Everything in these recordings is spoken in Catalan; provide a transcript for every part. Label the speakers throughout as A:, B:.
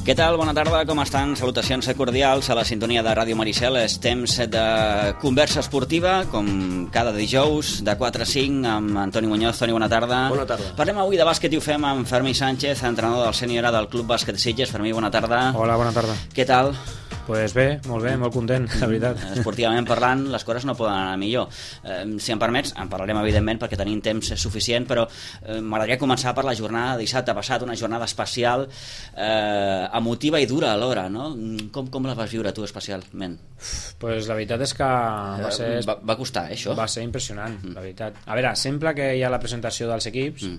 A: Què tal? Bona tarda, com estan? Salutacions cordials a la sintonia de Ràdio Maricel. És temps de conversa esportiva, com cada dijous, de 4 a 5, amb Antoni Muñoz. Toni, bona tarda.
B: Bona tarda.
A: Parlem avui de bàsquet i ho fem amb Fermí Sánchez, entrenador del sènior del Club Bàsquet Sitges. Fermí, bona tarda.
C: Hola, bona tarda.
A: Què tal?
C: Pues bé, molt content, la veritat.
A: Esportivament parlant, les coses no poden anar millor. Si em permets, en parlarem evidentment perquè tenim temps suficient, però m'agradaria començar per la jornada de dissabte passat, una jornada especial, emotiva i dura alhora, no? Com la vas viure tu especialment?
C: Pues la veritat és que
A: va costar, això?
C: Va ser impressionant, la veritat. A veure, sempre que hi ha la presentació dels equips,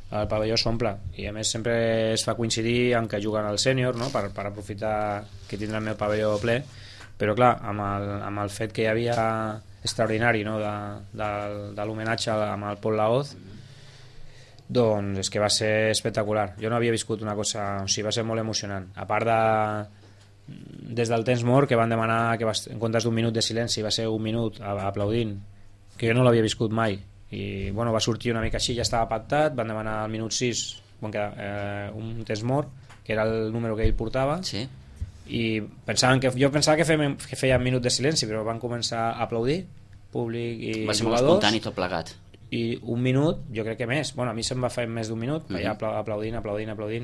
C: el pavelló s'omple, i a més sempre es fa coincidir en que juguen al sènior, no? per aprofitar que tindrà el meu pavelló ple, però clar, amb el fet que hi havia extraordinari, no? de l'homenatge amb el Pol Laoz, doncs és que va ser espectacular. Jo no havia viscut una cosa, o sigui, va ser molt emocionant, a part des del temps mort, que van demanar que en comptes d'un minut de silenci va ser un minut aplaudint, que jo no l'havia viscut mai, i bueno, va sortir una mica així, ja estava pactat, van demanar al minut 6 un temps mort, que era el número que ell portava,
A: sí.
C: I jo pensava que feia un minut de silenci, però van començar a aplaudir, públic i
A: va ser
C: jugadors,
A: molt espontani tot plegat,
C: i un minut, jo crec que més, bueno, a mi se'm va fer més d'un minut, allà aplaudint,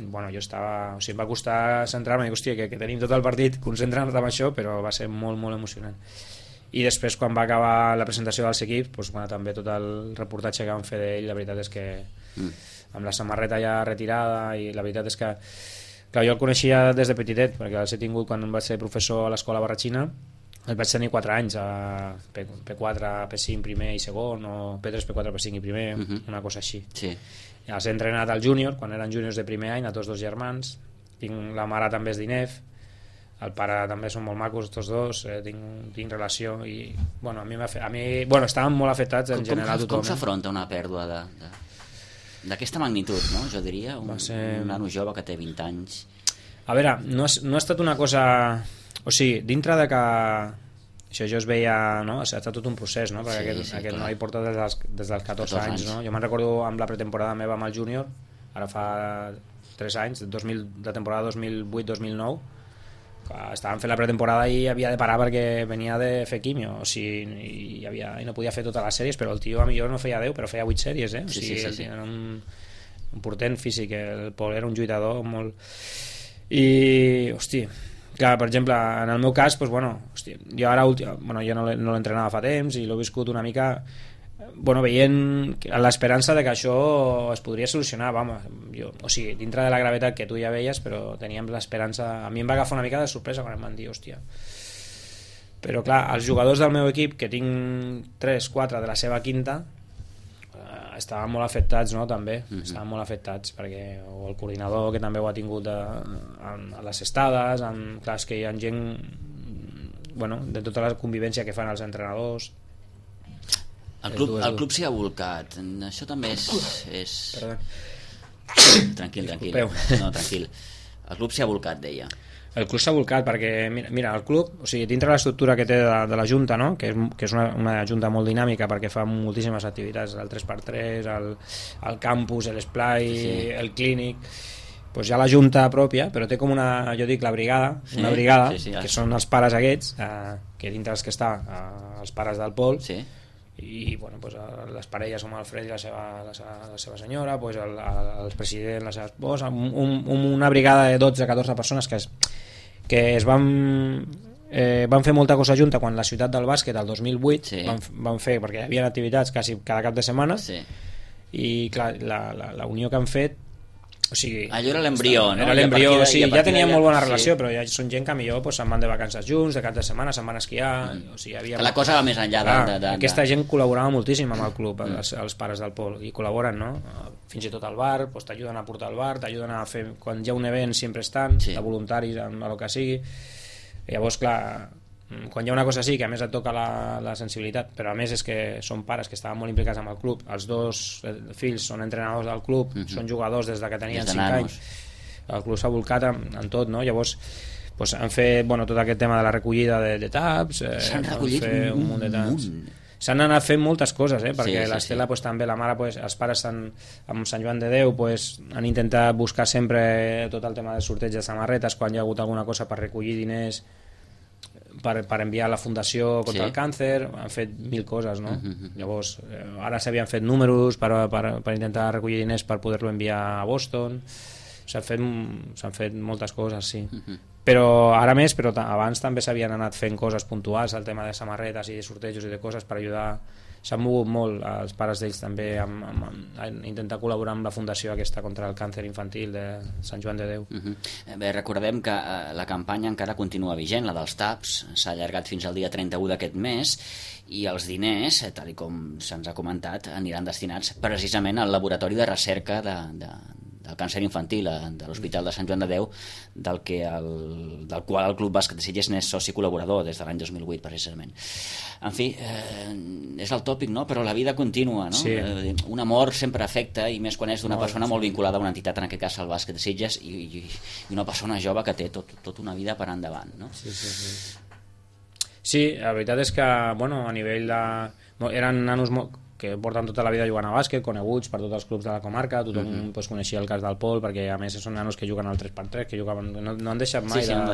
C: bueno, jo estava, o sigui, em va costar centrar-me, dic, hòstia, que tenim tot el partit, concentrar-nos en això, però va ser molt, molt emocionant. I després, quan va acabar la presentació dels equips, doncs, bueno, també tot el reportatge que vam fer d'ell, la veritat és que amb la samarreta ja retirada, i la veritat és que clar, jo el coneixia des de petitet, perquè els he tingut quan vaig ser professor a l'escola Barratxina, el vaig tenir 4 anys a P4, P5 primer i segon, o P3, P4, P5 i primer, una cosa així.
A: Sí.
C: Ja els he entrenat al júnior, quan eren júniors de primer any, a tots 2 germans, la mare també és d'INEF, el pare també són molt macos tots dos, tinc relació, i bueno, a mi estaven molt afectats en general tothom.
A: Com s'afronta una pèrdua d'aquesta magnitud, no? Jo diria, un nano jove que té 20 anys.
C: A veure, no ha estat una cosa, o sigui, dintre de que això jo es veia, no? Ha estat tot un procés, no? Perquè aquest noi porta des dels 14 anys, no? Jo me'n recordo amb la pretemporada meva amb el júnior, ara fa 3 anys, de temporada 2008-2009, estàvem fent la pretemporada i havia de parar perquè venia de fer quimio, o sigui, i no podia fer totes les sèries, però el tio a millor no feia 10, però feia 8 sèries, o sigui, sí. Era un portent físic, el Pol era un lluitador molt... I, hosti, clar, per exemple, en el meu cas, doncs, bueno, hosti, jo ara jo no l'entrenava fa temps i l'he viscut una mica, bueno, veient l'esperança de que això es podria solucionar, o sigui, dintre de la gravetat que tu ja veies, però teníem l'esperança. A mi em va agafar una mica de sorpresa quan em van dir, hòstia, però clar, els jugadors del meu equip, que tinc 3-4 de la seva quinta, estaven molt afectats, no? També estaven molt afectats, perquè o el coordinador, que també ho ha tingut a les estades, clar, és que hi ha gent, bueno, de tota la convivència que fan els entrenadors.
A: El club s'hi ha volcat. Això també és...
C: Perdó.
A: Tranquil. No, tranquil. El club s'hi ha volcat, deia.
C: El club s'ha volcat perquè, mira, el club, o sigui, dintre l'estructura que té de la Junta, no? que és una Junta molt dinàmica perquè fa moltíssimes activitats, el 3x3, el campus, l'esplai, el clínic, doncs hi ha la Junta pròpia, però té com jo dic, la brigada, que són els pares aquests, que dintre els que està els pares del Pol, i bueno, pues, les parelles com el Fred i la seva senyora, pues, el president, la seva esposa, una brigada de 12-14 persones que es van fer molta cosa junta quan la ciutat del bàsquet el 2008 van fer, perquè hi havia activitats quasi cada cap de setmana, i clar, la unió que han fet, o sigui,
A: allò era l'embrió, no?
C: Era l'embrió, sí, ja teníem molt bona relació, però ja són gent que millor pues, se'n van de vacances junts, de cap de setmana se'n van a esquiar, o sigui,
A: la cosa va més enllà
C: aquesta gent col·laborava moltíssim amb el club, els pares del Pol, i col·laboren, no? Fins i tot al bar, pues, t'ajuden a portar al bar, t'ajuden a fer, quan hi ha un event sempre estan, de voluntaris a el que sigui. Llavors, clar, quan hi ha una cosa així, que a més et toca la sensibilitat, però a més és que són pares que estaven molt implicats amb el club, els dos fills són entrenadors del club, són jugadors des de que tenien 5 anys, el club s'ha volcat en tot, no? Llavors pues, han fet tot aquest tema de la recollida de taps,
A: s'han recollit un munt.
C: s'han anat fent moltes coses, perquè l'Estela pues, també, la mare, pues, els pares amb Sant Joan de Déu pues, han intentat buscar sempre tot el tema del sorteig de samarretes quan hi ha hagut alguna cosa per recollir diners per enviar a la Fundació contra el càncer, han fet 1000 coses, no? Llavors, ara s'havien fet números per intentar recollir diners per poder-lo enviar a Boston, s'han fet moltes coses, sí. Però ara més, però abans també s'havien anat fent coses puntuals, el tema de samarretes i de sortejos i de coses per ajudar. S'han mogut molt els pares d'ells també a intentar col·laborar amb la fundació aquesta contra el càncer infantil de Sant Joan de Déu.
A: Bé, recordem que la campanya encara continua vigent, la dels TAPs, s'ha allargat fins al dia 31 d'aquest mes, i els diners, tal com se'ns ha comentat, aniran destinats precisament al laboratori de recerca del càncer infantil de l'Hospital de Sant Joan de Déu, del qual el Club Bàsquet de Sitges n'és soci col·laborador des de l'any 2008, precisament. En fi, és el tòpic, no? Però la vida continua, no?
C: Sí.
A: Una mort sempre afecta, i més quan és d'una persona molt vinculada a una entitat, en aquest cas el Bàsquet de Sitges, i una persona jove que té tota una vida per endavant, no?
C: Sí, la veritat és que, bueno, a nivell de... eren nanos que porten tota la vida jugant a bàsquet, coneguts per tots els clubs de la comarca, tothom pues, coneixia el cas del Pol, perquè a més són nanos que juguen al 3x3, que jugaven, no han deixat mai de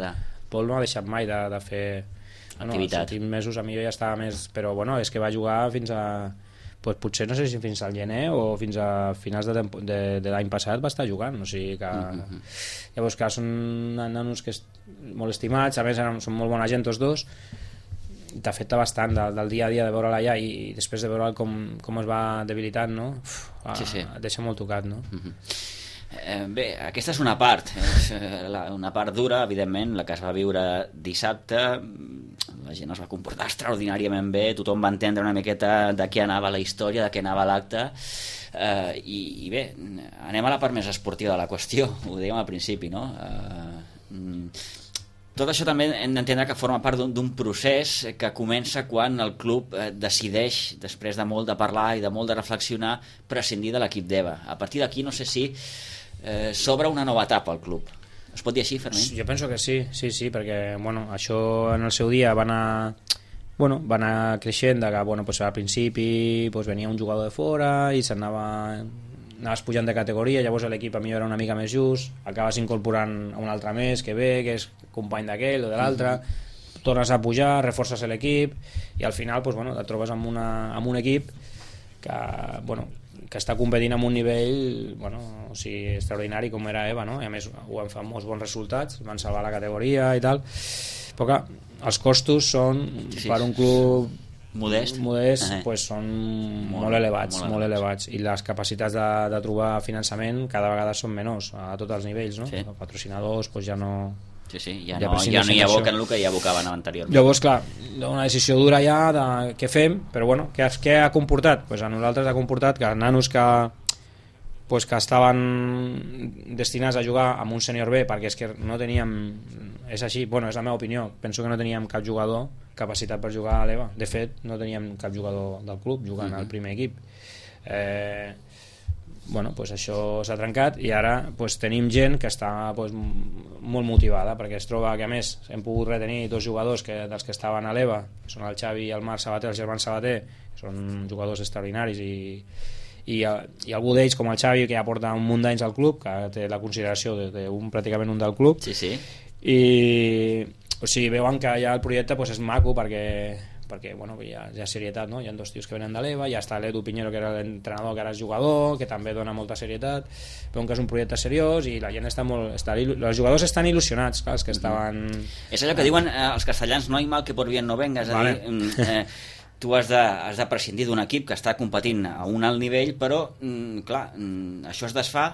C: fer... Pol no ha deixat mai de fer activitat. Els últims mesos a mi ja estava més... Però bueno, és que va jugar fins a... Pues, potser no sé si fins al gener o fins a finals de l'any passat va estar jugant, o sigui que... Llavors que són nanos que molt estimats, a més són molt bona gent tots dos, t'afecta bastant del dia a dia de veure'l allà i després de veure'l com es va debilitant, no? Et deixa molt tocat, no?
A: Bé, aquesta és una part, una part dura, evidentment, la que es va viure dissabte. La gent es va comportar extraordinàriament bé, tothom va entendre una miqueta de què anava la història, de què anava l'acte, i bé, anem a la part més esportiva de la qüestió, ho dèiem al principi, no? Tot això també hem d'entendre que forma part d'un procés que comença quan el club decideix, després de molt de parlar i de molt de reflexionar, prescindir de l'equip d'EVA. A partir d'aquí no sé si s'obre una nova etapa al club. Es pot dir així, Fermín?
C: Jo penso que sí, perquè bueno, això en el seu dia va anar creixent, que pues, al principi pues, venia un jugador de fora i anaves pujant de categoria, llavors l'equip a mi era una mica més just, acabes incorporant un altre més que ve, que és company d'aquell o de l'altre, tornes a pujar, reforces l'equip i al final pues, bueno, et trobes amb un equip que està competint amb un nivell extraordinari com era EVA, no? I a més ho van fer molts bons resultats, van salvar la categoria i tal, però que els costos són per un club modest pues són molt elevats i les capacitats de trobar finançament cada vegada són menors a tots els nivells, no? Els patrocinadors pues ja no
A: ja no hi aboquen el que hi abocaven anteriorment.
C: Llavors, clar, una decisió dura ja de què fem, però bueno, què ha comportat? Pues a nosaltres ha comportat que nanos que estaven destinats a jugar amb un sènior B, perquè és que no teníem, és així, bueno, és la meva opinió, penso que no teníem cap jugador capacitat per jugar a l'EVA, de fet no teníem cap jugador del club jugant al primer equip, pues això s'ha trencat i ara pues, tenim gent que està pues, molt motivada, perquè es troba que a més hem pogut retenir 2 jugadors dels que estaven a l'EVA, que són el Xavi i el Marc Sabater, els germans Sabater, que són jugadors extraordinaris i algú d'ells com el Xavi, que ja porta un munt d'anys al club, que té la consideració pràcticament un del club, i o sigui, veuen que ja el projecte pues, és maco perquè bueno, hi ha serietat, no? Hi ha 2 tios que venen de l'EVA, ja està l'Edu Piñero, que era l'entrenador, que ara és jugador, que també dona molta serietat, veuen que és un projecte seriós i la gent els jugadors estan il·lusionats, clar, els que estaven...
A: És allò que diuen els castellans, no hi mal que por bien no venga, és a dir, tu has de prescindir d'un equip que està competint a un alt nivell, però clar, això es desfà,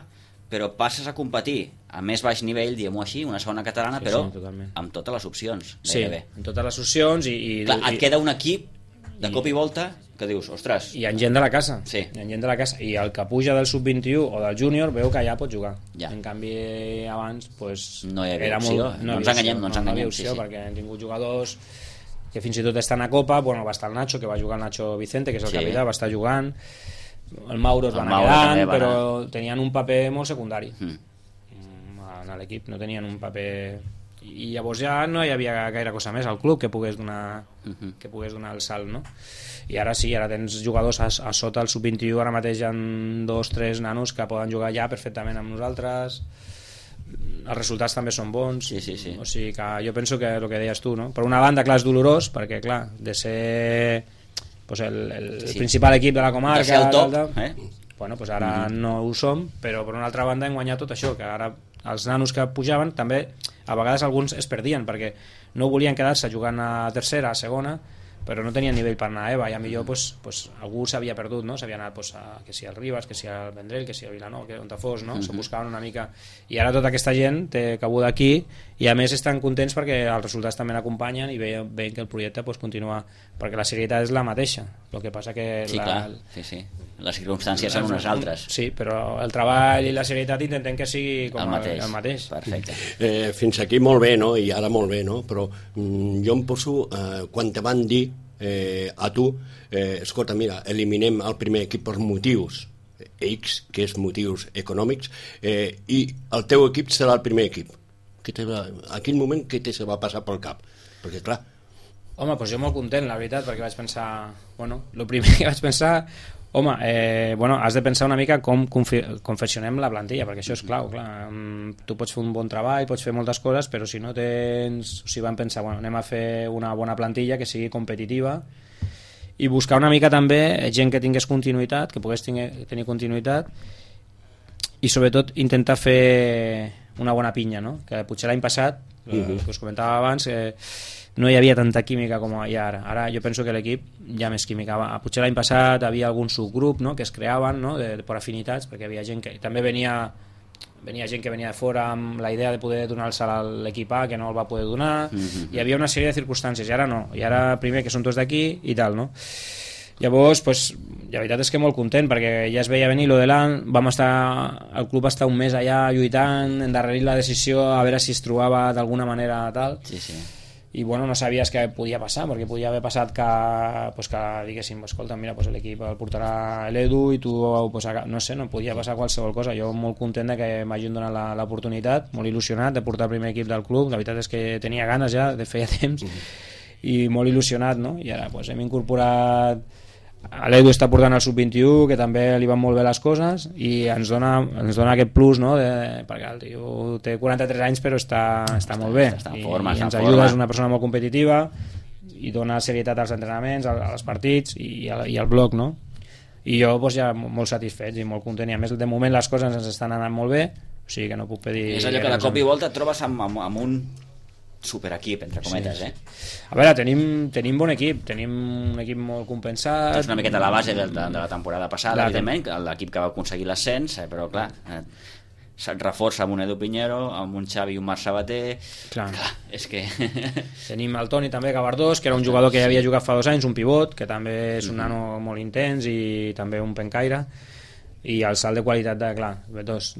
A: però passes a competir a més baix nivell, diguem-ho així, una segona catalana, però amb totes les opcions.
C: Amb totes les opcions
A: clar, et queda un equip de cop i volta que dius, ostres...
C: I hi ha gent de la casa. I el que puja del sub-21 o del júnior veu que ja pot jugar. En canvi, abans pues,
A: no hi havia opció. No ens enganyem.
C: Perquè hem tingut jugadors que fins i tot estan a Copa. Bueno, va estar el Nacho, que va jugar el Nacho Vicente, que és el capità, va estar jugant. El Mauro es va anar quedant, però tenien un paper molt secundari en l'equip, no tenien un paper i llavors ja no hi havia gaire cosa més al club que pogués donar el salt, no? I ara sí, ara tens jugadors a sota el sub-21, ara mateix hi ha 2-3 nanos que poden jugar ja perfectament amb nosaltres, els resultats també són bons,
A: sí.
C: O sigui que jo penso que el que deies tu, no? Per una banda, clar, és dolorós, perquè clar, de ser pues, el principal equip de la comarca,
A: de ser el top,
C: bueno, pues ara no ho som, però per una altra banda hem guanyat tot això, que ara els nanos que pujaven també a vegades alguns es perdien perquè no volien quedar-se jugant a tercera, a segona, però no tenien nivell per anar a EVA i a millor pues, algú s'havia perdut, no? S'havia anat pues, que si al Ribas, que si al Vendrell, que si al Vilanova, que on te fos, no? Se buscaven una mica, i ara tota aquesta gent té cabuda aquí i a més estan contents perquè els resultats també l'acompanyen i veien que el projecte pues, continua, perquè la serietat és la mateixa, el que passa que
A: sí. Les circumstàncies són unes altres.
C: Sí, però el treball i la serietat intentem que sigui com el mateix.
A: Perfecte.
B: Fins aquí molt bé, no? I ara molt bé, no? Però jo em poso, quan te van dir a tu, escolta, mira, eliminem el primer equip per motius X, que és motius econòmics, i el teu equip serà el primer equip. A quin moment què te se va passar pel cap? Perquè, clar...
C: Home, doncs jo molt content, la veritat, perquè vaig pensar... Bueno, el primer que vaig pensar... Home, has de pensar una mica com confeccionem la plantilla, perquè això és clau, clar. Tu pots fer un bon treball, pots fer moltes coses, però si no tens... O sigui, vam pensar, anem a fer una bona plantilla que sigui competitiva i buscar una mica també gent que tingués continuïtat, que pogués tenir continuïtat, i sobretot intentar fer una bona pinya, no? Que potser l'any passat, que us comentava abans, no hi havia tanta química com hi ha ara. Ara jo penso que l'equip hi ha més química. Potser l'any passat havia algun subgrup, no?, que es creaven, no?, per afinitats, perquè havia gent que... També venia gent que venia de fora amb la idea de poder donar el salt a l'equip A, que no el va poder donar. Hi havia una sèrie de circumstàncies, i ara no. I ara primer que són tots d'aquí i tal, no? Llavors, pues, la veritat és que molt content, perquè ja es veia venir lo de l'any, el club va estar un mes allà lluitant, endarrerir la decisió, a veure si es trobava d'alguna manera tal.
A: Sí.
C: I bueno, no sabies què podia passar, perquè podia haver passat que diguéssim, escolta, mira, pues l'equip el portarà l'Edu i tu, pues, no sé, no podia passar qualsevol cosa. Jo molt content de que m'hagin donat l'oportunitat, molt il·lusionat de portar el primer equip del club. La veritat és que tenia ganes ja, de feia temps, i molt il·lusionat, no? I ara pues, hem incorporat... L'Edu està portant el sub-21, que també li van molt bé les coses, i ens dona aquest plus, no? Perquè el tio té 43 anys però està molt bé, i ens ajuda, és una persona molt competitiva i dona serietat als entrenaments, als partits i al bloc, no? I jo pues, ja molt satisfet i molt content, i a més de moment les coses ens estan anant molt bé, o sigui que no puc pedir...
A: És allò que de cop i volta et trobes amb un superequip, entre cometes,
C: A veure, tenim bon equip, tenim un equip molt compensat.
A: És una miqueta la base de la temporada passada, evidentment, l'equip que va aconseguir l'ascens, però clar, se't reforça amb un Edu Piñero, amb un Xavi i un Marc Sabater, clar, és que...
C: Tenim el Toni també, Gavardós, que era un jugador que ja havia jugat fa 2 anys, un pivot, que també és un nano molt intens i també un pencaire, i el salt de qualitat de, clar, dos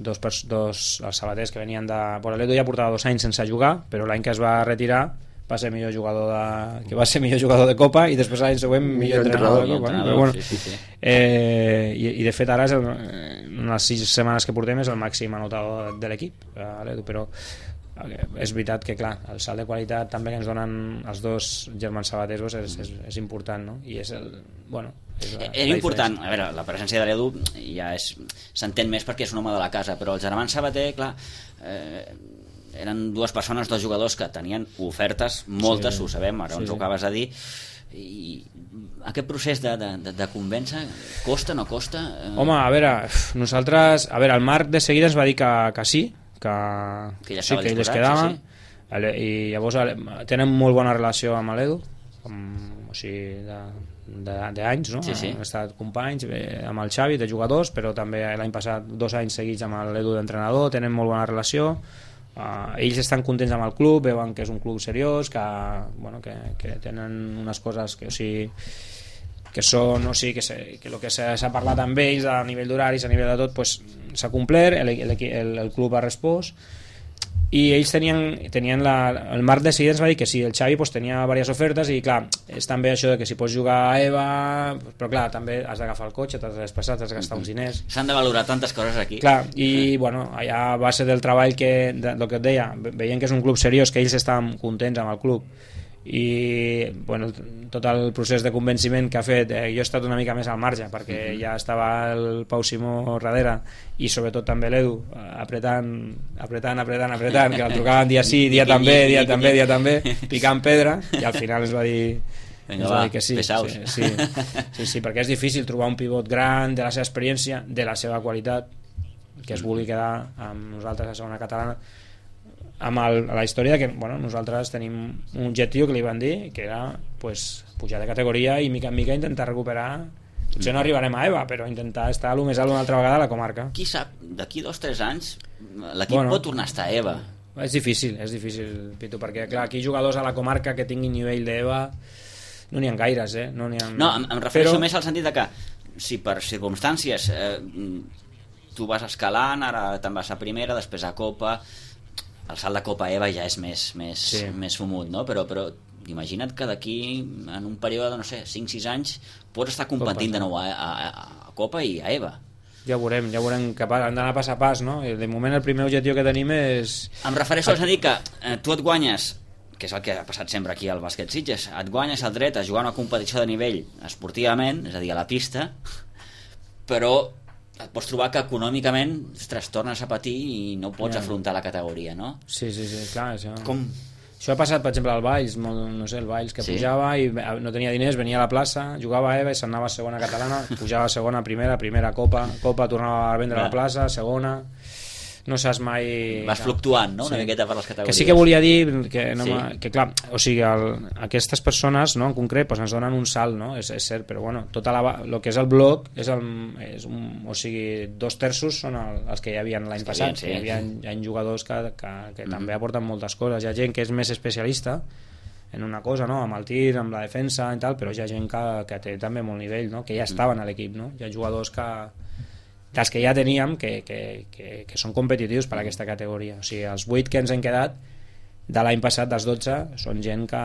C: els sabaters que venien de... Bueno, l'Edu ja portava 2 anys sense jugar, però l'any que es va retirar va ser millor jugador de Copa, i després l'any següent millor entrenador de Copa, però bueno, sí. I de fet ara en les 6 setmanes que portem és el màxim anotador de l'equip, l'Edu, però és veritat que clar, el salt de qualitat també que ens donen els dos germans sabaters és important, no? I és era
A: important, a veure, la presència de l'Edu ja s'entén més perquè és un home de la casa, però els germans Sabater, clar, eren 2 persones, 2 jugadors que tenien ofertes, moltes, ho sabem, ara ens ho acabes de dir, i aquest procés de convèncer costa, no costa?
C: Home, a veure, nosaltres, el Marc de seguida ens va dir que sí, que ja sí, que ell es quedava, i llavors tenen molt bona relació amb l'Edu, o sigui, d'anys, no?
A: Sí.
C: Han estat companys amb el Xavi de jugadors, però també l'any passat 2 anys seguits amb l'Edu d'entrenador, tenen molt bona relació. Ells estan contents amb el club, veuen que és un club seriós, que tenen unes coses que, o sigui, que són, o sigui, que el que s'ha parlat amb ells a nivell d'horaris, a nivell de tot, pues, s'ha complert, el club ha respost, i ells tenien el Marc de seguida ens va dir que sí, el Xavi pues, tenia diverses ofertes i clar, és també això de que si pots jugar a EVA, però clar, també has d'agafar el cotxe, t'has de desplaçar, t'has de gastar uns diners.
A: S'han de valorar tantes coses aquí.
C: Clar, i bueno, allà a base del treball el que et deia, veient que és un club seriós, que ells estaven contents amb el club, i bueno, tot el procés de convenciment que ha fet, jo he estat una mica més al marge perquè ja estava el Pau Simó darrere i sobretot també l'Edu apretant que el trucaven dia sí, dia també picant pedra i al final es va dir que sí, sí, perquè és difícil trobar un pivot gran de la seva experiència, de la seva qualitat, que es vulgui quedar amb nosaltres a segona catalana, amb la història que bueno, nosaltres tenim un objectiu que li van dir que era pues, pujar de categoria i mica en mica intentar recuperar, potser no arribarem a EVA però intentar estar el més alt una altra vegada a la comarca.
A: Qui sap, d'aquí 2 o 3 anys l'equip pot tornar a estar a EVA.
C: És difícil Pitu, perquè clar, aquí jugadors a la comarca que tinguin nivell d'EVA no n'hi ha gaires, no n'hi ha...
A: No, em refereixo més al sentit de que si per circumstàncies tu vas escalant, ara te'n vas a primera, després a Copa, el salt de Copa EVA ja és més fumut, no? Però imagina't que d'aquí en un període, no sé, 5-6 anys pots estar competint de nou a Copa i a EVA.
C: Ja veurem que han d'anar pas a pas, no? De moment el primer objectiu que tenim és...
A: Em refereixo a dir que tu et guanyes, que és el que ha passat sempre aquí al bàsquet Sitges, et guanyes el dret a jugar una competició de nivell esportivament, és a dir, a la pista, però et pots trobar que econòmicament tornes a patir i no pots afrontar la categoria, no?
C: Sí, clar, això...
A: Com?
C: Això ha passat, per exemple, al Valls, no sé, el Valls que pujava i no tenia diners, venia a la plaça, jugava a EVA i se'n anava a segona catalana, pujava a segona, primera Copa, tornava a vendre a la plaça, segona... No saps mai...
A: Vas fluctuant, no? Una miqueta per les categories.
C: Que sí que volia dir que clar, o sigui, aquestes persones, no, en concret, pues, ens donen un salt, no? És cert, però bueno, el que és el bloc o sigui, 2/3 són els que hi havia l'any passat, sí. Hi ha jugadors que també aporten moltes coses, hi ha gent que és més especialista en una cosa, no? Amb el tir, amb la defensa i tal, però hi ha gent que té també molt nivell, no? Que ja estaven a l'equip, no? Hi ha jugadors dels que ja teníem que són competitius per a aquesta categoria, o sigui, els 8 que ens hem quedat de l'any passat, dels 12, són gent que...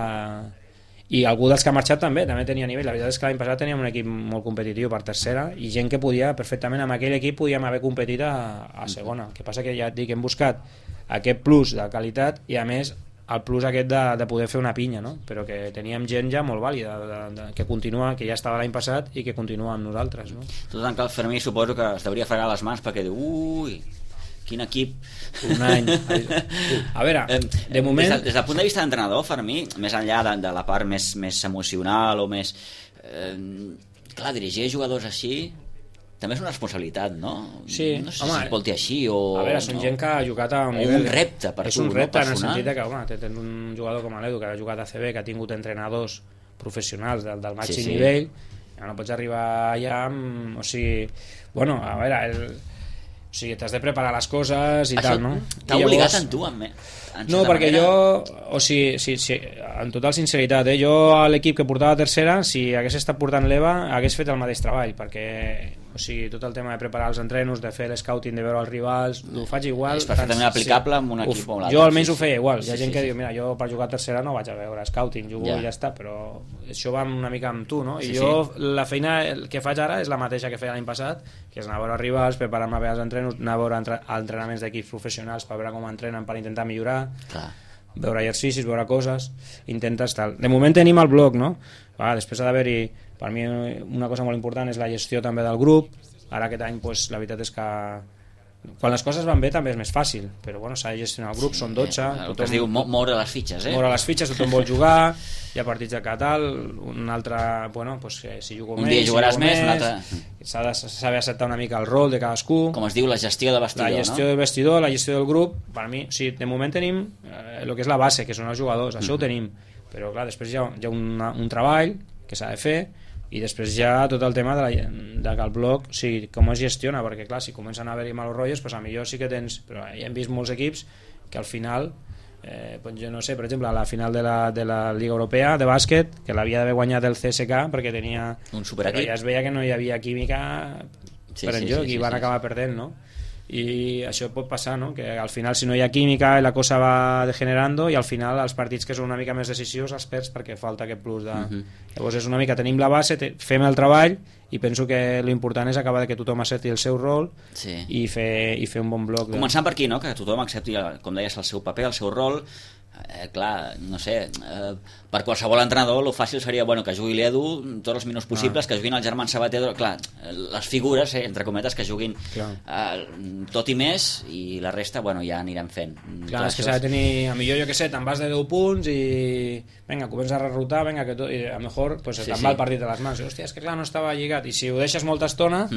C: I algú dels que ha marxat també tenia nivell. La veritat és que l'any passat teníem un equip molt competitiu per tercera i gent que podia perfectament, amb aquell equip podíem haver competit a segona. El que passa que ja et dic, hem buscat aquest plus de qualitat i a més el plus aquest de poder fer una pinya, no? Però que teníem gent ja molt vàlida que continua, que ja estava l'any passat i que continua amb nosaltres, no?
A: Tot tant que el Fermí suposo que es deuria fregar les mans perquè diu, ui, quin equip.
C: Un any. A veure, de moment...
A: Des del punt de vista d'entrenador, Fermí, més enllà de la part més emocional o més... clar, dirigir jugadors així també és una responsabilitat, no?
C: Sí,
A: no sé si es pot dir així o...
C: A veure, són gent que ha jugat a un
A: nivell... un repte per tu, no?
C: És un repte en el sentit que, home, tens un jugador com l'Edu que ha jugat a CB, que ha tingut entrenadors professionals del màxim nivell, no pots arribar allà amb... O sigui, bueno, a veure... O sigui, t'has de preparar les coses i tal, no?
A: T'ha obligat en tu,
C: no, perquè jo, o sigui, sí, en total sinceritat, jo a l'equip que portava tercera, si hagués estat portant l'EVA, hagués fet el mateix treball, perquè, o sigui, tot el tema de preparar els entrenos, de fer l'escouting, de veure els rivals, ho faig igual.
A: És perfectament aplicable amb un equip o un altre.
C: Jo almenys ho feia igual. Hi ha gent que diu, mira, jo per jugar a tercera no vaig a veure scouting, jugo i ja està, però això va una mica amb tu, no? I jo la feina que faig ara és la mateixa que feia l'any passat, que és anar a veure els rivals, preparar-me bé els entrenos, anar a veure entrenaments d'equips professionals per veure com entrenen, per intentar millorar. Clar. Veure exercicis, veure coses, intentes tal. De moment tenim el blog, no? Després ha d'haver-hi, per mi una cosa molt important és la gestió també del grup. Ara aquest any pues, la veritat és que quan les coses van bé també és més fàcil, però bueno, s'ha de gestionar el grup, són 12,
A: el que es diu moure les fitxes,
C: moure les fitxes, tothom vol jugar, hi ha partits de tal, un altre, bueno, pues, si jugo
A: un dia jugaràs més, un altre...
C: s'ha de saber acceptar una mica el rol de cadascú,
A: com es diu, la gestió de vestidor,
C: la gestió del vestidor, la gestió del grup. Per mi, o sigui, de moment tenim el que és la base, que són els jugadors, això ho tenim, però clar, després hi ha un treball que s'ha de fer, i després ja tot el tema de que el blog, o sigui, com es gestiona, perquè clar, si comencen a haver-hi malos rotllos, pues a millor sí que tens, però ja hem vist molts equips que al final, pues jo no sé, per exemple, a la final de la Lliga Europea de bàsquet, que l'havia d'haver guanyat el CSK perquè tenia
A: un superequip,
C: ja es veia que no hi havia química per enlloc i van acabar perdent, no? i això pot passar, no? Que al final si no hi ha química la cosa va degenerando i al final els partits que són una mica més decisius els perds perquè falta aquest plus de... Llavors és una mica, tenim la base, fem el treball i penso que l'important és acabar que tothom accepti el seu rol i fer un bon bloc
A: començant per aquí, no? Que tothom accepti, com deies, el seu paper, el seu rol. Clar, no sé, per qualsevol entrenador el fàcil seria que jugui l'Edu tots els minuts possibles, que juguin el Germán Sabater, clar, les figures, entre cometes, que juguin tot i més, i la resta ja anirem fent.
C: Clar, és que s'ha de tenir, a millor jo que sé, te'n vas de 10 punts i vinga, comença a rerotar, vinga, que tot, i a lo millor pues, te'n va el partit de les mans, i, hòstia, és que clar, no estava lligat, i si ho deixes molta estona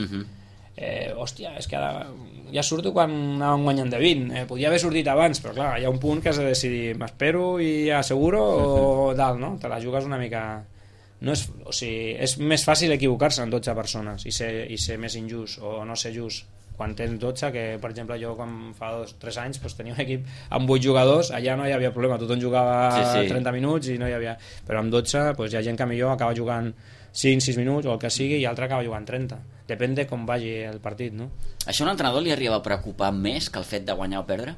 C: hòstia, és que ara ja surto quan anàvem guanyant de 20, podia haver sortit abans, però clar, hi ha un punt que has de decidir, m'espero i asseguro o dalt, no? Te la jugues una mica, no és, o sigui, és més fàcil equivocar-se en 12 persones i ser més injust o no ser just quan tens 12, que per exemple jo quan fa 2-3 anys pues, tenia un equip amb 8 jugadors, allà no hi havia problema, tothom jugava 30 minuts i no hi havia, però amb 12 pues, hi ha gent que millor acaba jugant 5-6 minuts o el que sigui i l'altre acaba jugant 30, depèn de com vagi el partit, no?
A: Això a un entrenador li arriba a preocupar més que el fet de guanyar o perdre?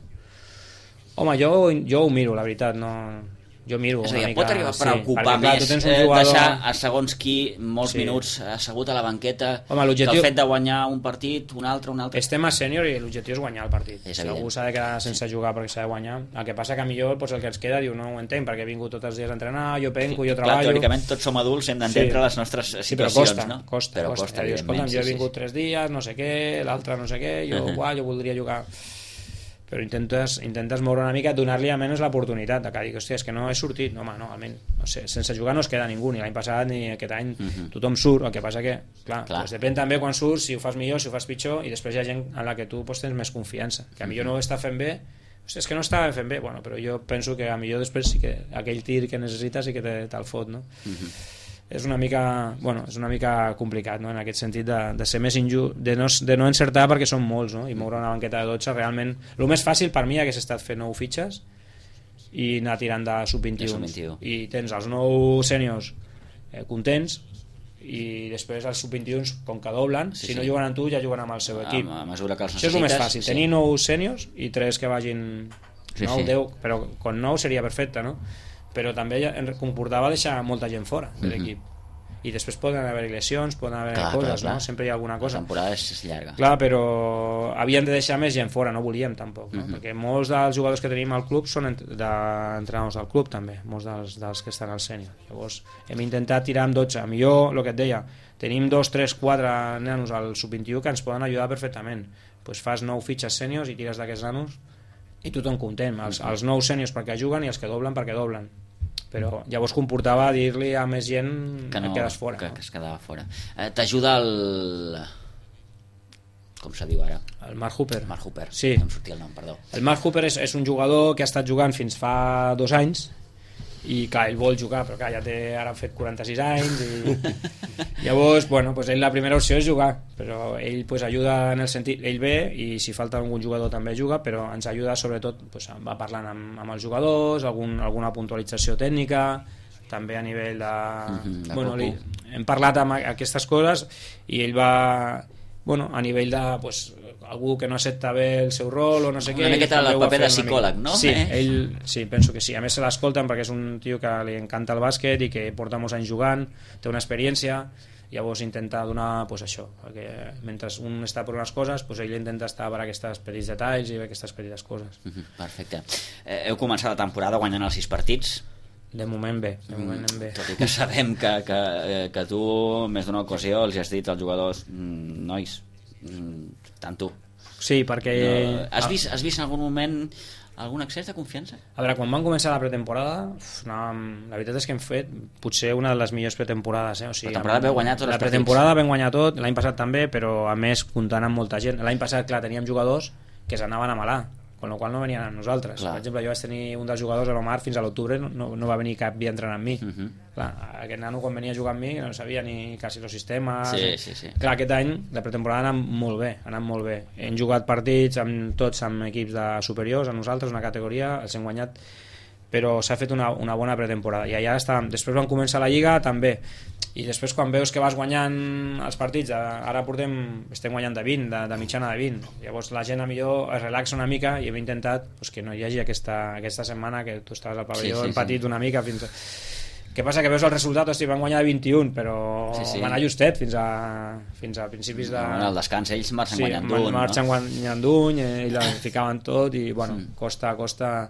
C: Home, jo ho miro, la veritat, no... Jo miro
A: és a dir,
C: una mica...
A: pot arribar a preocupar més deixar a segons qui molts minuts assegut a la banqueta. Home, que el fet de guanyar un partit, un altre...
C: Estem a sènior i l'objectiu és guanyar el partit. Si algú s'ha de quedar sense jugar perquè s'ha de guanyar, el que passa que millor pues, el que ens queda diu no ho entenc perquè he vingut tots els dies a entrenar, jo penco, jo treballo...
A: Clar, teòricament tots som adults, hem d'entendre les nostres situacions,
C: però costa, dius, escolta'm, jo he vingut 3 dies, no sé què, l'altre no sé què, jo voldria jugar... però intentes moure una mica, donar-li almenys l'oportunitat de que digui, hòstia, és que no he sortit, no, home, no, almenys, no sé, sense jugar no es queda ningú, ni l'any passat ni aquest any, tothom surt, el que passa que, clar. Pues depèn també quan surts, si ho fas millor, si ho fas pitjor, i després hi ha gent en la que tu pues, tens més confiança, que a millor no ho està fent bé, hòstia, és que no estava fent bé, bueno, però jo penso que a millor després sí que aquell tir que necessites sí que te'l fot, no? És una mica complicat, no? En aquest sentit de ser més injust, de no encertar perquè són molts, no? I moure una banqueta de 12 realment el més fàcil per mi hagués estat fer 9 fitxes i anar tirant de sub-21 i tens els 9 sèniors contents i després els sub-21 com que doblen, si no juguen amb tu ja juguen amb el seu equip,
A: a mesura que els
C: això és el més fàcil, tenir 9 sèniors i 3 que vagin 10, però con 9 seria perfecte, no? Però també comportava deixar molta gent fora de l'equip i després poden haver lesions, poden haver coses, no? Sempre hi ha alguna cosa.
A: La temporada és llarga.
C: Clar, però havien de deixar més gent fora, no volíem tampoc, no? Perquè molts dels jugadors que tenim al club són d'entrenadors del club també, molts dels que estan al sènior. Llavors hem intentat tirar amb 12, millor el que et deia, tenim 2, 3, 4 nanos al sub-21 que ens poden ajudar perfectament, pues fas 9 fitxes sèniors i tires d'aquests nanos i tothom content, els 9 sèniors perquè juguen i els que doblen perquè doblen, però llavors comportava dir-li a més gent que no, quedes fora,
A: que es quedava fora. T'ajuda el... com se diu ara?
C: El Mark Hooper.
A: Mark Hooper,
C: sí.
A: No em sortia el nom, perdó.
C: El Mark Hooper és un jugador que ha estat jugant fins fa 2 anys i clar, ell vol jugar, però clar, ja té ara fet 46 anys i llavors, bueno, pues ell la primera opció és jugar, però ell pues ajuda en el sentit, ell ve i si falta algun jugador també juga, però ens ajuda sobretot, pues va parlant amb els jugadors, alguna puntualització tècnica, també a nivell de bueno, hem parlat amb aquestes coses i ell va, bueno, a nivell de pues, algú que no accepta bé el seu rol o no sé què,
A: una miqueta el paper de psicòleg, no?
C: Sí, ell, sí, penso que sí, a més se l'escolten perquè és un tio que li encanta el bàsquet i que porta molts anys jugant, té una experiència, llavors intenta donar pues, això, perquè mentre un està per unes coses pues, ell intenta estar per aquests petits detalls i aquestes petites coses.
A: Perfecte. Heu començat la temporada guanyant els 6 partits.
C: De moment bé, bé.
A: Tot i que sabem que tu més d'una ocasió els has dit als jugadors, nois, tant tu.
C: Sí, perquè...
A: No, has vist en algun moment algun excés de confiança?
C: A veure, quan van començar la pretemporada, la veritat és que hem fet potser una de les millors pretemporades. O sigui,
A: la temporada veu guanyar tots els partits.
C: La pretemporada vam guanyar tot, l'any passat també, però a més comptant amb molta gent. L'any passat, clar, teníem jugadors que s'anaven a Malà, con la qual no venien amb nosaltres. Clar. Per exemple, jo vaig tenir un dels jugadors a l'Omar fins a l'octubre, no va venir cap dia a entrenar amb mi. Clar, aquest nano quan venia a jugar amb mi no sabia ni quasi els sistemes.
A: Sí.
C: Clar, aquest any la pretemporada ha anat molt bé. Hem jugat partits amb tots amb equips de superiors a nosaltres, una categoria, els hem guanyat però s'ha fet una bona pretemporada i allà està. Després van començar la Lliga també, i després quan veus que vas guanyant els partits, ara estem guanyant de 20, de mitjana de 20, llavors la gent a millor es relaxa una mica, i hem intentat que no hi hagi aquesta setmana que tu estaves al pavelló, hem patit una mica fins a... Què passa? Que veus el resultat, van guanyar de 21, però van anar justet fins a principis de...
A: Al descans ells marxen guanyant d'un.
C: Marxen guanyant d'un, i la ficaven tot, i costa...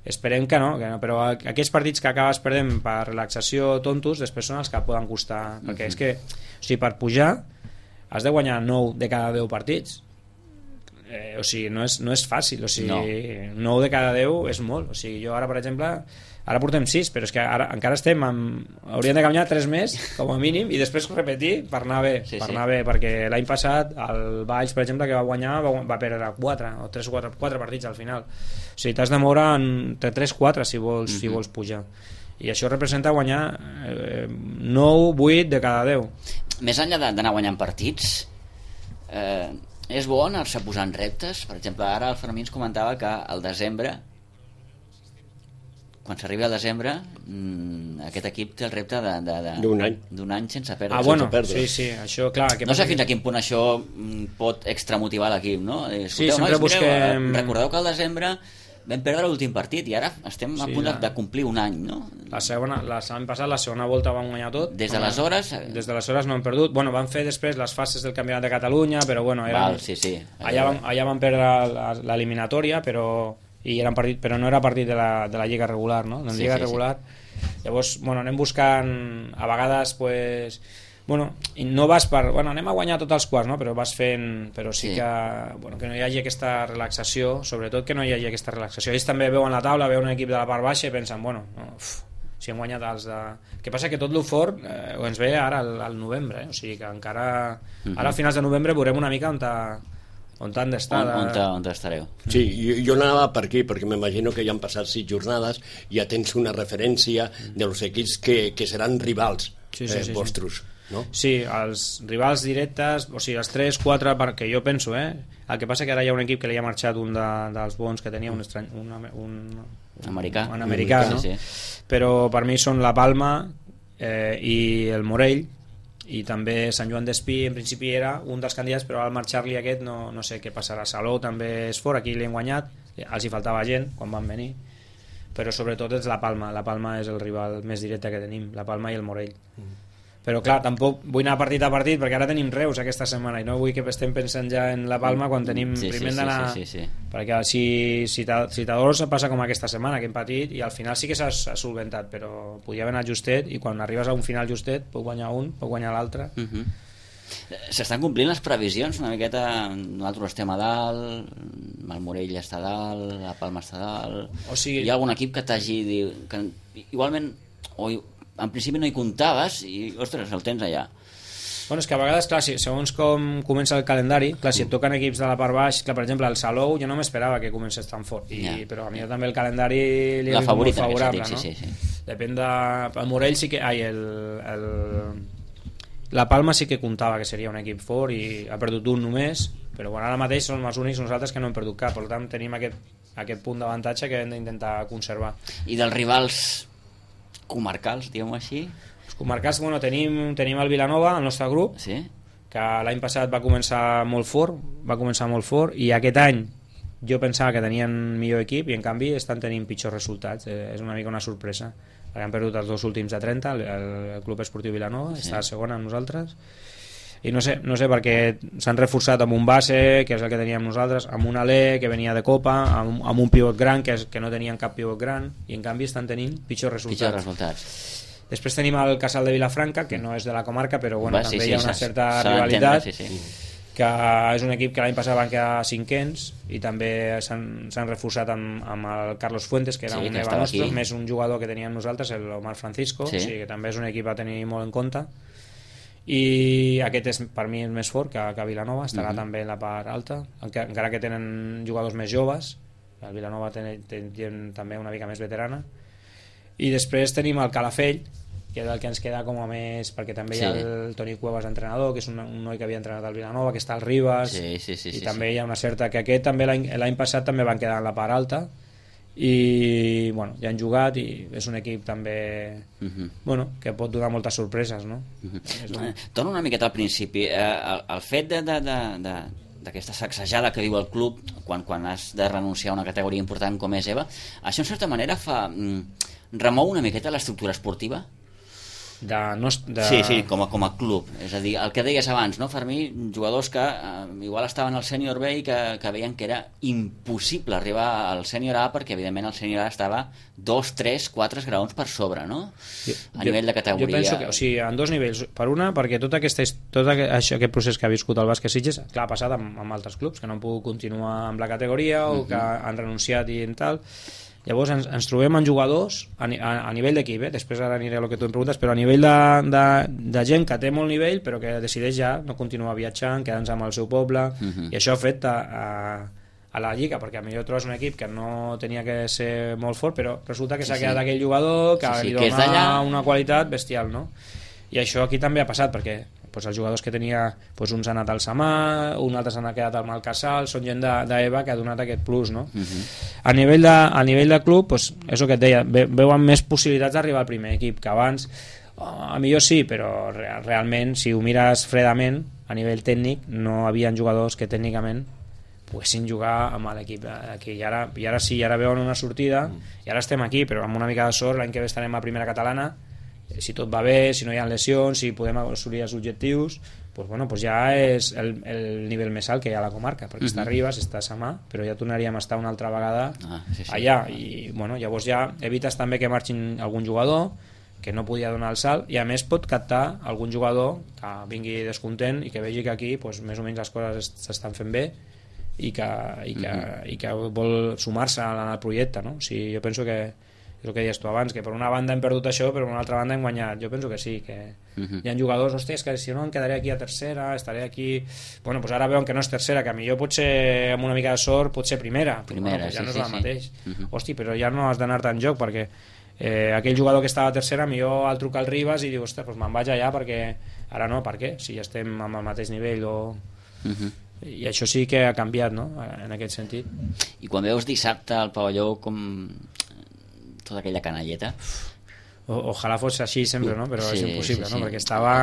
C: Esperem que no, però aquests partits que acabes perdent per relaxació tontos, després són els que poden costar, perquè és que, per pujar has de guanyar 9 de cada 10 partits, no és fàcil, 9 de cada 10 és molt, jo ara, per exemple, ara portem 6, però és que ara encara hauríem de guanyar 3 més com a mínim, i després repetir per anar bé, perquè l'any passat el Valls, per exemple, que va guanyar va perdre 4 o 3 o 4 partits al final, t'has de moure entre 3-4 si vols pujar, i això representa guanyar 9-8 de cada 10.
A: Més enllà d'anar guanyant partits, és bo anar-se posant reptes. Per exemple, ara el Fermí ens comentava que al desembre, quan s'arribi al desembre, aquest equip té el repte d'un any sense perdre.
C: Sí, això, clar.
A: No sé fins a quin punt això pot extramotivar l'equip, no?
C: Sí, sempre busquem...
A: Recordeu que al desembre vam perdre l'últim partit i ara estem a punt de complir un any, no?
C: L'any passat, la segona volta vam guanyar tot.
A: Des d'aleshores
C: no hem perdut. Van fer després les fases del Campionat de Catalunya, però allà van perdre l'eliminatòria, però no era partit de la Lliga regular, no? En Lliga regular. Llavors, anem buscant, a vegades, i no vas anem a guanyar tots els quarts, no? Però vas fent, però sí que no hi hagi aquesta relaxació, sobretot que no hi hagi aquesta relaxació. Ells també veuen la taula, veuen un equip de la part baixa i pensen, si hem guanyat els de... El que passa que tot l'ofort ens ve ara al novembre, o sigui que encara ara a finals de novembre veurem una mica on han d'estar.
A: On estareu.
B: Sí, jo anava per aquí, perquè m'imagino que ja han passat 6 jornades, ja tens una referència dels equips que seran rivals vostres. No?
C: Sí, els rivals directes, els 3-4, perquè jo penso, el que passa que ara hi ha un equip que li ha marxat un dels bons que tenia un americà, no?
A: Sí.
C: Però per mi són la Palma i el Morell, i també Sant Joan d'Espí en principi era un dels candidats, però al marxar-li aquest no sé què passarà. Salou també és fort, aquí li han guanyat, els hi faltava gent quan van venir, però sobretot és la Palma és el rival més directe que tenim, la Palma i el Morell. Però clar, tampoc vull anar partit a partit, perquè ara tenim Reus aquesta setmana i no vull que estem pensant ja en la Palma quan tenim primer d'anar... Perquè si t'adors passa com aquesta setmana que hem patit i al final sí que s'ha solventat, però podia haver anat justet, i quan arribes a un final justet pot guanyar un, pot guanyar l'altre.
A: S'estan complint les previsions una miqueta. Nosaltres estem a dalt, el Morell està a dalt, la Palma està a dalt, hi ha algun equip que t'hagi dit que igualment en principi no hi comptaves i, ostres, el tens allà.
C: És que a vegades, clar, segons com comença el calendari, clar, si et toquen equips de la part baix, clar, per exemple, el Salou jo no m'esperava que comencés tan fort, però a mi també el calendari li és molt favorable, no?
A: Sí.
C: Depèn de... El Morell sí que... La Palma sí que comptava que seria un equip fort i ha perdut un només, però ara mateix som els únics nosaltres que no hem perdut cap, per tant tenim aquest punt d'avantatge que hem d'intentar conservar.
A: I dels rivals comarcals, diguem-ho així?
C: Els comarcals, tenim el Vilanova, el nostre grup, que l'any passat va començar molt fort, i aquest any jo pensava que tenien millor equip i en canvi estan tenint pitjors resultats. És una mica una sorpresa, perquè han perdut els 2 últims de 30, el Club Esportiu Vilanova està a segona amb nosaltres, i no sé perquè s'han reforçat amb un base, que és el que teníem nosaltres, amb un alè que venia de Copa, amb un pivot gran que no tenien cap pivot gran, i en canvi estan tenint pitjors resultats. Després tenim el Casal de Vilafranca, que no és de la comarca, però també hi ha una certa rivalitat, que és un equip que l'any passat van quedar 5ens, i també s'han reforçat amb el Carlos Fuentes, que era un neva nostre, més un jugador que teníem nosaltres, l'Omar Francisco, o sigui que també és un equip a tenir molt en compte. I aquest per mi és més fort que Vilanova, estarà també en la part alta, encara que tenen jugadors més joves. El Vilanova té gent també una mica més veterana, i després tenim el Calafell, que és el que ens queda com a més, perquè també hi ha el Toni Cuevas entrenador, que és un noi que havia entrenat al Vilanova, que està al Ribas, i també hi ha una certa, que aquest també l'any passat també van quedar en la part alta, i bueno, ja han jugat i és un equip també bueno, que pot donar moltes sorpreses, no?
A: Torno una miqueta al principi, el fet d'aquesta sacsejada que viu el club quan has de renunciar a una categoria important com és EVA, això en certa manera remou una miqueta l'estructura esportiva? Sí, com a club, és a dir, el que deies abans, no, Fermí, jugadors que igual estaven al sènior B i que veien que era impossible arribar al sènior A perquè evidentment el sènior A estava 2, 3, 4 graons per sobre, no? A nivell de categoria.
C: Jo penso que, o sigui, en dos nivells. Per una, perquè tot aquest procés que ha viscut el Bàsquet Sitges, clar, ha passat amb altres clubs que no han pogut continuar amb la categoria o que han renunciat i tal. Llavors ens trobem en jugadors a nivell d'equip, després ara aniré a el que tu em preguntes, però a nivell de gent que té molt nivell però que decideix ja no continuar viatjant, quedant-se amb el seu poble, i això afecta a la lliga, perquè potser trobes un equip que no tenia que ser molt fort però resulta que s'ha quedat aquell jugador que li dona una qualitat bestial, no? I això aquí també ha passat perquè els jugadors que tenia, uns han anat al Samà, uns altres han quedat al Malcasal, són gent d'EVA que ha donat aquest plus, no? A nivell de club, és el que et deia, veuen més possibilitats d'arribar al primer equip que abans. A millor sí, però realment, si ho mires fredament, a nivell tècnic, no havien jugadors que tècnicament poguessin jugar amb l'equip aquí. I ara sí, ara veuen una sortida, i ara estem aquí, però amb una mica de sort, l'any que ve estarem a primera catalana, si tot va bé, si no hi ha lesions, si podem assolir els objectius, ja és el nivell més alt que hi ha a la comarca, perquè està a Ribes, està a Samà, però ja tornaríem a estar una altra vegada allà, i llavors ja evites també que marxin algun jugador que no podia donar el salt, i a més pot captar algun jugador que vingui descontent i que vegi que aquí més o menys les coses s'estan fent bé i que vol sumar-se al projecte, no? O sigui, jo penso que és el que deies tu abans, que per una banda hem perdut això però per una altra banda hem guanyat. Jo penso que sí, que hi ha jugadors, hòstia, és que si no em quedaré aquí a tercera, estaré aquí... Ara veuen que no és tercera, que millor potser amb una mica de sort pot ser primera ja no és el mateix. Hòstia, però ja no has d'anar tan joc perquè aquell jugador que estava a tercera millor el truca al Ribes i diu, ostres, me'n vaig allà perquè ara no, per què? Si ja estem amb el mateix nivell i això sí que ha canviat, no? En aquest sentit.
A: I quan veus dissabte al pavelló com tota aquella canalleta,
C: ojalà fos així sempre, no? Però és impossible, no? Perquè estava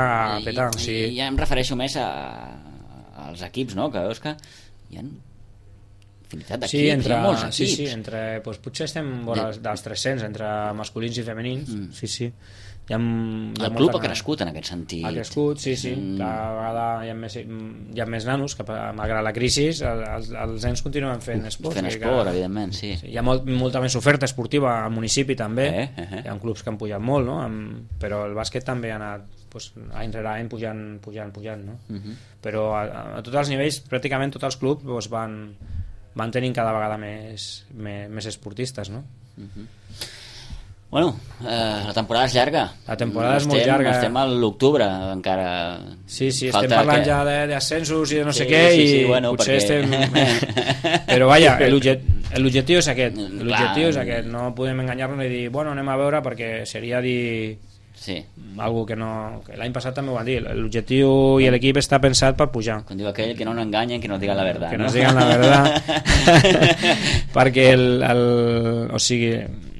C: petant.
A: I ja em refereixo més als equips, no? Que veus que hi ha infinitat d'equips, hi ha molts equips.
C: Sí, potser estem dels 300 entre masculins i femenins. Sí.
A: El club ha crescut en aquest sentit.
C: Ha crescut, sí. Cada vegada hi ha més nanos que malgrat la crisi els nens continuen fent esport.
A: Evidentment, sí.
C: Hi ha molta més oferta esportiva al municipi també. Hi ha clubs que han pujat molt, no? Però el bàsquet també ha anat any rere any pujant, no? Però a tots els nivells, pràcticament tots els clubs van tenint cada vegada més esportistes, no?
A: Bueno, la temporada és llarga.
C: La temporada és molt llarga.
A: Estem a l'octubre encara.
C: Sí, estem parlant ja d'ascensos i de no sé què, i potser estem... Però vaja, l'objectiu és aquest. L'objectiu és aquest. No podem enganyar-nos i dir, bueno, anem a veure, perquè seria dir... algo que no... L'any passat també ho van dir. L'objectiu i l'equip està pensat per pujar.
A: Com diu aquell, que no enganyen, que no digan la verdad.
C: Que no digan la verdad. Perquè o sigui,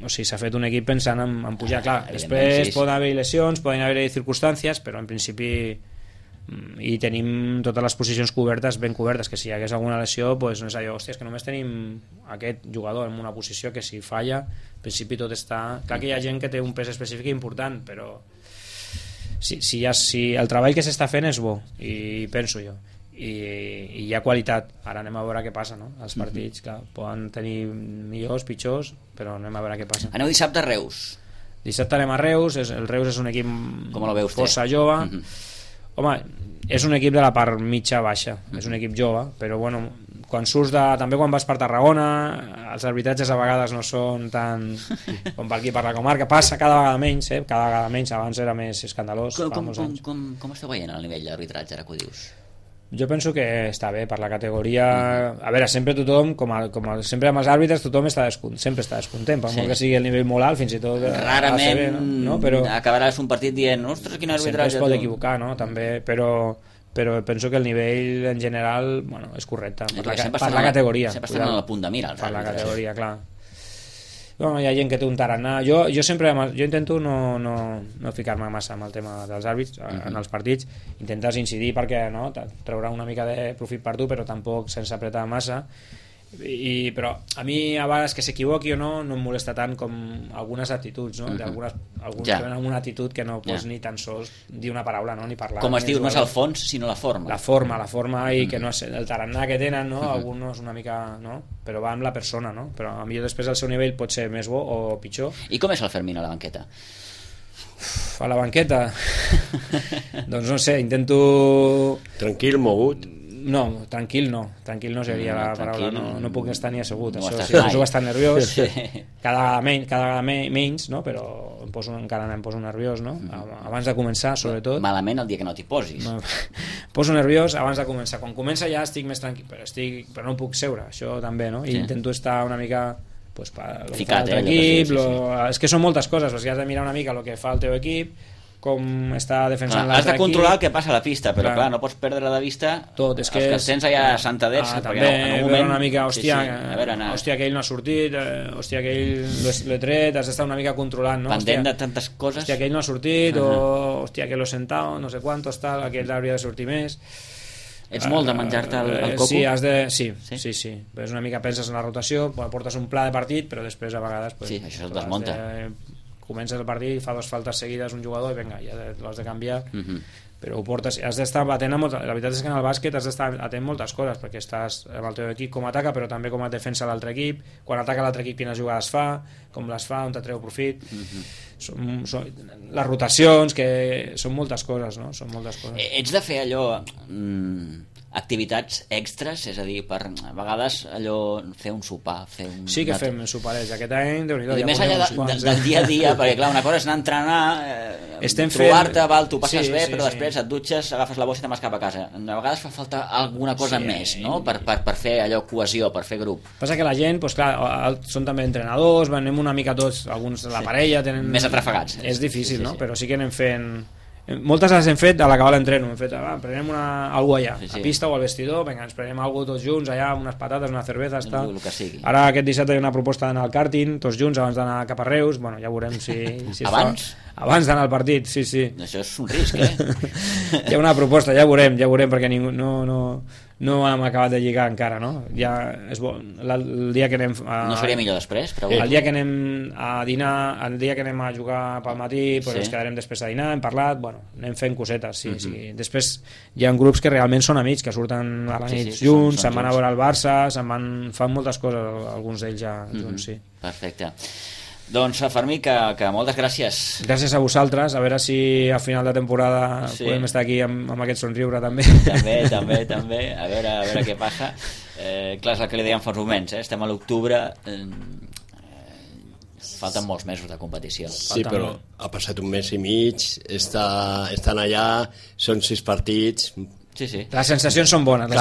C: s'ha fet un equip pensant en pujar, clar, després poden haver lesions, poden haver circumstàncies, però en principi i tenim totes les posicions cobertes, ben cobertes, que si hi hagués alguna lesió no és allò, hòstia, és que només tenim aquest jugador en una posició que si falla, en principi tot està... Clar que hi ha gent que té un pes específic important, però si el treball que s'està fent és bo, i penso jo, i hi ha qualitat. Ara anem a veure què passa, no? Els partits, clar, poden tenir millors, pitjors, però anem a veure què passa.
A: Aneu dissabte a Reus.
C: Dissabte anem a Reus. El Reus és un equip força jove. Home, és un equip de la part mitja-baixa, és un equip jove, però bueno, quan surts també quan vas per Tarragona, els arbitratges a vegades no són tan com per aquí per la comarca, passa cada vegada menys, abans era més escandalós.
A: Com esteu veient el nivell d'arbitratge, ara que ho dius?
C: Jo penso que està bé per la categoria. A veure, sempre tothom, com sempre amb els àrbitres, tothom sempre està descontent, per molt que sigui el nivell molt alt, fins i tot
A: rarament
C: no? Però
A: acabaràs un partit dient, ostres, quin arbitratge.
C: Sempre es pot equivocar, no? També, però penso que el nivell en general és correcte per la categoria.
A: Sempre estan a la punt de mira
C: per la categoria, clar. Bueno, hi ha gent que té un tarannà. Jo intento no ficar-me massa amb el tema dels àrbits en els partits. Intentes incidir perquè no, treurà una mica de profit per tu, però tampoc sense apretar massa. Però a mi a vegades que s'equivoqui o no em molesta tant com algunes actituds, no? Alguns que tenen una actitud que no pots ni tan sols dir una paraula, no? Ni parlar.
A: Com es diu, no és el fons sinó la forma.
C: La forma i que no és el tarannà que tenen, no? Alguns una mica, no? Però va amb la persona, no? Però a millor després el seu nivell pot ser més bo o pitjor.
A: I com és el Fermín a la banqueta?
C: A la banqueta doncs no sé, intento...
B: Tranquil, mogut.
C: No, tranquil no seria la paraula, no puc estar ni assegut,
A: no
C: això, si poso bastant nerviós, cada menys, no? Però encara em poso nerviós, no? Abans de començar, sobretot.
A: Malament el dia que no t'hi posis.
C: Poso nerviós abans de començar, quan comença ja estic més tranquil, però no puc seure, això també, no? I intento estar una mica
A: ficat,
C: equip, és que són moltes coses, has de mirar una mica el que fa el teu equip, com està defensant l'altre equip.
A: Has de controlar el que passa a la pista, però clar, no pots perdre de vista
C: tot, és que
A: els que tens allà a Santaders,
C: també en un moment... una mica, hòstia, aquell no ha sortit, hòstia, aquell l'he tret, has d'estar una mica controlant, no?
A: Pendent de tantes coses.
C: Hòstia, aquell no ha sortit, o hòstia, que l'he sentat, no sé quantos, tal, aquell hauria de sortir més.
A: Ets molt de menjar-te el coco?
C: Sí. Però és una mica penses en la rotació, portes un pla de partit, però després a vegades...
A: Sí, això et desmunta.
C: Comences el partit, fa 2 faltes seguides un jugador i vinga, ja l'has de canviar, però ho portes, has d'estar atent a la veritat és que en el bàsquet has d'estar atent a moltes coses, perquè estàs amb el teu equip com ataca, però també com a defensa l'altre equip, quan ataca l'altre equip quines jugades fa, com les fa, on te treu profit, són les rotacions, que són moltes coses, no? Són moltes coses.
A: Ets de fer allò... activitats extres, és a dir, a vegades allò, fer un sopar,
C: Sí que fem soparets, aquest any Déu-n'hi-do,
A: més enllà del dia a dia, perquè clar, una cosa és anar a entrenar, trobar-te, tu passes bé, però després et dutxes, agafes la bossa i te'n vas cap a casa. A vegades fa falta alguna cosa més, no? Per fer allò cohesió, per fer grup.
C: Passa que la gent, doncs clar, són també entrenadors, anem una mica tots, alguns de la parella tenen...
A: Més atrafegats.
C: És difícil, no? Però sí que anem fent... Moltes les hem fet a l'acabar l'entreno, hem fet, prenem alguna allà, a pista o al vestidor, vinga, ens prenem alguna tots junts allà, unes patates, unes cervezas, tal. Ara aquest dissabte hi ha una proposta d'anar al karting, tots junts abans d'anar cap a Reus, bueno, ja veurem si
A: abans?
C: Abans d'anar al partit, sí.
A: Això és un risc,
C: Hi ha una proposta, ja veurem, perquè ningú, no hem acabat de lligar encara, no? Ja és bo, el dia que anem
A: no seria millor després?
C: El dia que anem a dinar, el dia que anem a jugar pel matí, ens quedarem després a dinar, hem parlat, bueno, anem fent cosetes, sí. Després hi ha grups que realment són amics, que surten a la nit junts, se'n van a veure el Barça, fan moltes coses, alguns d'ells ja junts, sí.
A: Perfecte. Doncs Fermí, que moltes gràcies.
C: Gràcies a vosaltres, a veure si a final de temporada podem estar aquí amb aquest somriure també.
A: També, a veure què passa. Clar, és el que li dèiem fa uns moments, estem a l'octubre, falten molts mesos de competició.
B: Sí, però ha passat un mes i mig, estan allà, són 6 partits...
A: Sí.
C: Les sensacions són bones.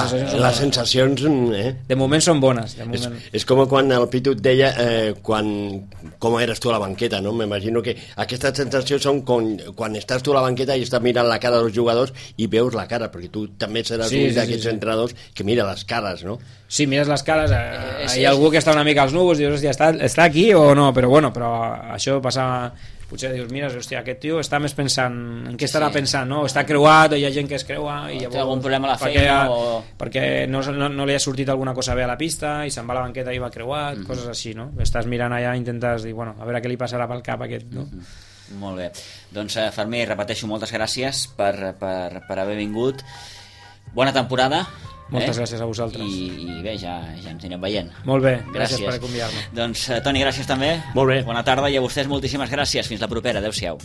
B: Les sensacions...
C: De moment són bones.
B: És com quan el Pitu et deia com eres tu a la banqueta, no? M'imagino que aquestes sensacions són quan estàs tu a la banqueta i estàs mirant la cara dels jugadors i veus la cara, perquè tu també seràs un d'aquests entrenadors que mira les cares, no?
C: Sí, mires les cares, hi ha algú que està una mica als núvols i dius, hòstia, està aquí o no? Però això passa... Potser dius, mira, hòstia, aquest tio està més pensant en què estarà pensant, no? Està creuat, hi ha gent que es creua i
A: llavors, té algun problema a la feina
C: perquè no li ha sortit alguna cosa bé a la pista i se'n va a la banqueta i va creuat, coses així, no? Estàs mirant allà i intentes dir, bueno, a veure què li passarà pel cap a aquest, no?
A: Molt bé, doncs Fermí, repeteixo, moltes gràcies per haver vingut, bona temporada.
C: Moltes gràcies a vosaltres.
A: I bé, ja ens anirem veient.
C: Molt bé, gràcies per convidar-me.
A: Doncs Toni, gràcies també.
B: Molt bé.
A: Bona tarda i a vostès moltíssimes gràcies. Fins la propera, adeu-siau.